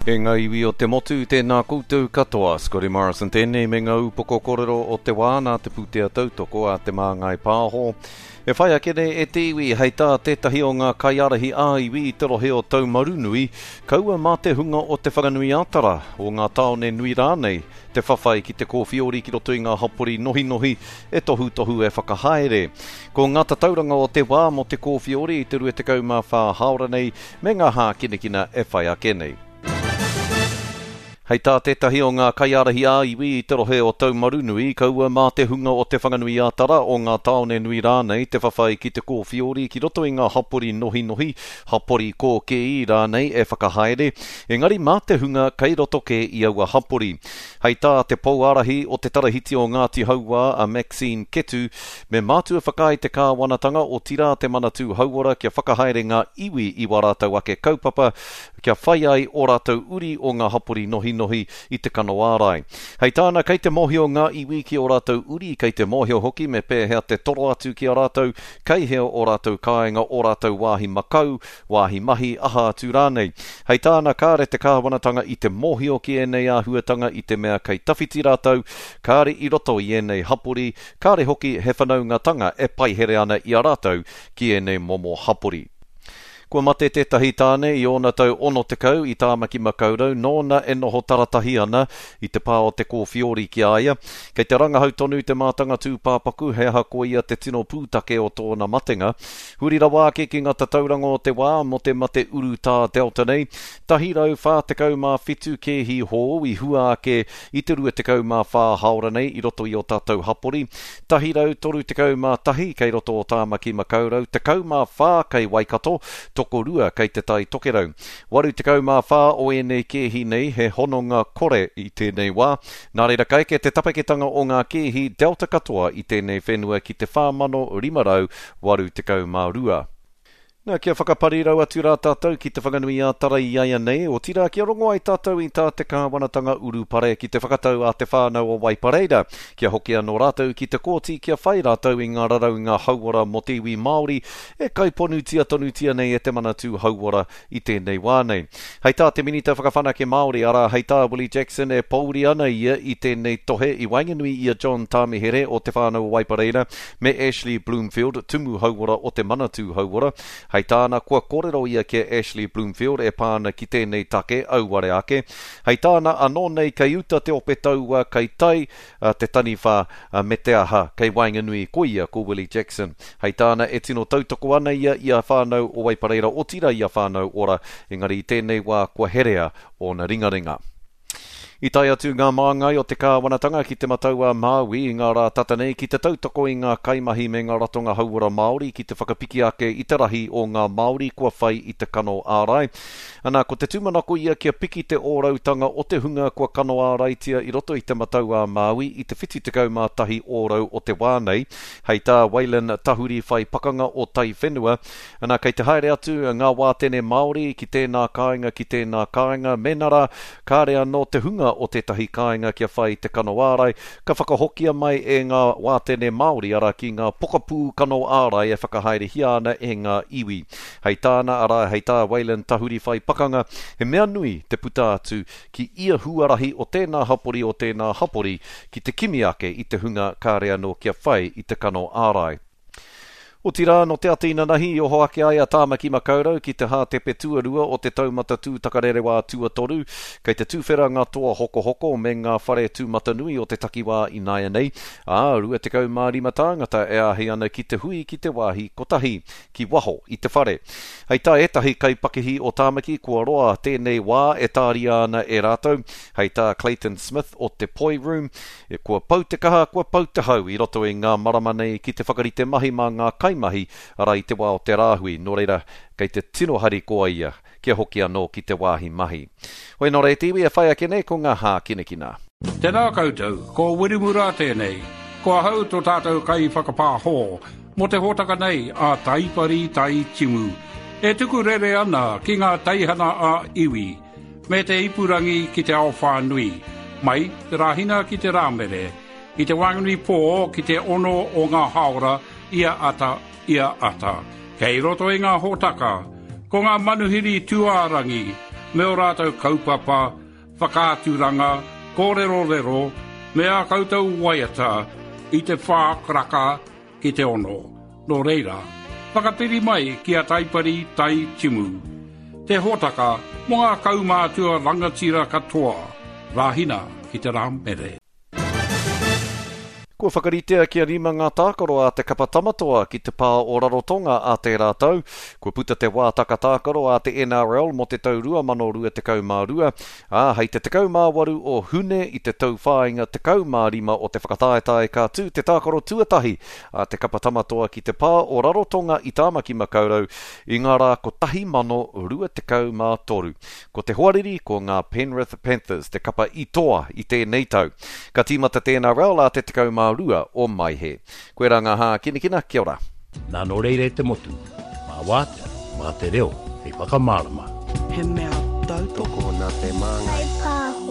E ngā iwi o te motu, tēnā koutou katoa. Scotty Morrison tēnei me ngā upoko kōrero o te wā nā te pūtea tautoko a Te Māngai Pāho. E whai ake nei e te iwi hei tā tētahi o ngā kaiārahi ā-iwi i te rohe o Taumarunui, kaua mā te hunga o Te Whanganui-ā-Tara, o ngā tāone nui rānei, te whawhai ki te kōwhiori ki roto i ngā hapori nohinohi e tohutohu e whakahaere. Ko ngā tatauranga o te wā mō te kōwhiori i te 24 hāora nei me ngā hākinakina e whai ake nei. Hei tā tētahi o ngā kaiārahi ā-iwi i te rohe o Taumarunui, kaua mā te hunga o Te Whanganui-ā-Tara, o ngā tāone nui rānei te whawhai ki te kōwhiori ki roto i ngā hapori nohinohi, hapori kōkēī rānei e whakahaere, engari mā te hunga kei roto kē i aua hapori. Hei tā te pouārahi o te Tarahiti o Ngāti Hauā a Maxine Ketu, me mātua whakaae te kāwanatanga otirā te Manatū Hauora kia whakahaere ngā iwi i wā rātou ake kaupapa kia whai ai ō rātou uri o ngā hapori nohinohi i te kano ārai. Hei tāna kei te mōhio ngā iwi ki ō rātou uri, kei te mōhio hoki me pēhea te toro atu ki a rātou, kei hea ō rātou kāinga, ō rātou wāhi makau, wāhi mahi, aha atu rānei. Hei tāna kāre te kāwanatanga i te mōhio ki ēnei āhuatanga i te mea kei tawhiti rātou, kāre i roto i ēnei hapori, kāre hoki he whanaungatanga e paihere ana i a rātou ki ēnei momo hapori. Kua mate tētahi tāne i ōna tau 60 i Tāmaki Makaurau nōna e noho taratahi ana i te pā o Te Kōwhiori ki a ia. Kei te rangahau tonu te mātanga tūpāpaku he aha koia te tino pūtake o tōna matenga. Huri rawa ake ki ngā tatauranga o te wā mō te mate urutā Delta nei, 147 kēhi hou i hua ake i te 24 hāora nei i roto i ō tātou hapori, 131 kei roto o Tāmaki Makaurau, 14 kei Waikato, tokorua kei Te Tai Tokerau. 84 o ēnei kēhi nei he hononga kore i tēnei wā, nā reira ka eke te tapeketanga o ngā kēhi Delta katoa i tēnei whenua ki te 4,582. Nā, kia whakaparirau atu rā tātou ki Te Whanganui-ā-Tara i aianei, otirā kia rongo ai tātou i tā te kāwanatanga urupare ki te whakatau a te whānau o Waipareira, kia hoki anō rātou ki te kōti kia whai rātou i ngā raraunga hauora mō te iwi Māori e kaiponutia tonutia nei e te Manatū Hauora i tēnei wā nei. Hei tā te Minita Whakawhanake Māori, arā, hei tā Willie Jackson e pōuri ana ia i tēnei tohe i waenganui i a John Tāmihere o Te Whānau o Waipareira me Ashley Bloomfield, Tumu Hauora o te Manatū Hauora. Hei tāna, kua kōrero ia ki a Ashley Bloomfield e pā ana ki tēnei take, auare ake. Hei tāna, anō nei kei uta te ope taua, kei tai te taniwha, me te aha, kei waenganui ko ia ko Willie Jackson. Hei tāna, e tino tautoko ana ia i a Whānau o Waipareira, otirā i a Whānau Ora, engari i tēnei wā kua herea ōna ringaringa. I tae atu ngā māngai o te kāwanatanga ki Te Matau-a-Māui i ngā rā tata nei ki te tautoko i ngā kaimahi me ngā ratonga hauora Māori ki te whakapiki ake i te rahi o ngā Māori kua whai i te kano ārai. Ana, ko te tūmanako ia kia piki te ōrautanga o te hunga kua kano āraitia i roto i Te Matau-a-Māui i te 71 ōrau o te wā nei, hei tā Waylon Tahuri whai pakanga o Taiwhenua. Ana, kei te haere atu ngā wātene Māori ki tēnā kāinga, ki tēnā kāinga, mēnā rā, kāre anō te hunga o tētahi kāinga kia whai i te kano ārai, ka whakahokia mai e ngā wātene Māori, arā, ki ngā pokapū kano ārai e whakahaerehia ana e ngā iwi. Hei tāna, arā, hei tā Waylon Tahuri whai pakanga, he mea nui te puta atu ki ia huarahi o tēnā hapori o tēnā hapori ki te kimi ake i te hunga kāre anō kia whai i te kano ārai. Otirā, nō te ata inanahi i oho ake ai a Tāmaki Makaurau ki te hātepe tuarua o te taumata tūtakarerewā tuatoru. Kei te tuwhera ngā toa hokohoko me ngā whare tūmatanui o te takiwā ināianei, ā, 25 tāngata e āhei ana ki te hui ki te wāhi kotahi, ki waho i te whare. Hei tā ētahi kaipakihi o Tāmaki, kua roa tēnei wā e tāria ana e rātou. Hei tā Clayton Smith o te Poi Room, E Kua pau te kaha, kua pau te hau i roto i ngā marama nei ki te whakarite mahi mā ngā kaimahi, arā i te wā o te rāhui, nō reira, kei te tino harikoa ia kia hoki anō ki te wāhi mahi. Hoi nō reira te iwi e whai ake nei ko ngā hākinakina. Tēnā koutou, ko Wiremu Rā tēnei. Ko ahau tō tātou kaiwhakapāho mō te hōtaka nei a Taipari Tai Timu. E tuku rere ana ki ngā teihana ā-iwi, me te ipurangi ki te ao whānui, mai te Rāhina ki te Rāmere, i te waenganui pō ki te ono o ngā hāora ia ata, ia ata. Kei roto i ngā hōtaka, ko ngā manuhiri tūārangi, me ō rātou kaupapa, whakaaturanga, kōrerorero, me ā koutou waiata i te whā karaka ki te ono. Nō reira, whakapiri mai ki a Taipari Tai Timu, te hōtaka mō ngā kaumātua rangatira katoa, Rāhina ki te Rāmere. Kua whakaritea kia rima ngā tākaro a te kapa Tamatoa ki te pā o Rarotonga ā tērā tau. Kua puta te wātaka tākaro a te NRL mō te tau 2022, ā, hei te 18 o Hune i te tauwhāinga 15 o te whakataetae ka tū te tākaro tuatahi a te kapa Tamatoa ki te pā o Rarotonga i Tāmaki Makaurau i ngā rā 1023. Ko te hoariri ko ngā Penrith Panthers te kapa i toa i tēnei tau. Ka tīmata tēnā raul ā te 12 o Maehe. Koirā ngā hākinakina, kia ora. Nā nō reira e te motu, mā wātea, mā te reo hei whakamārama. He mea tautoko nā te Māngai. Whaipāho.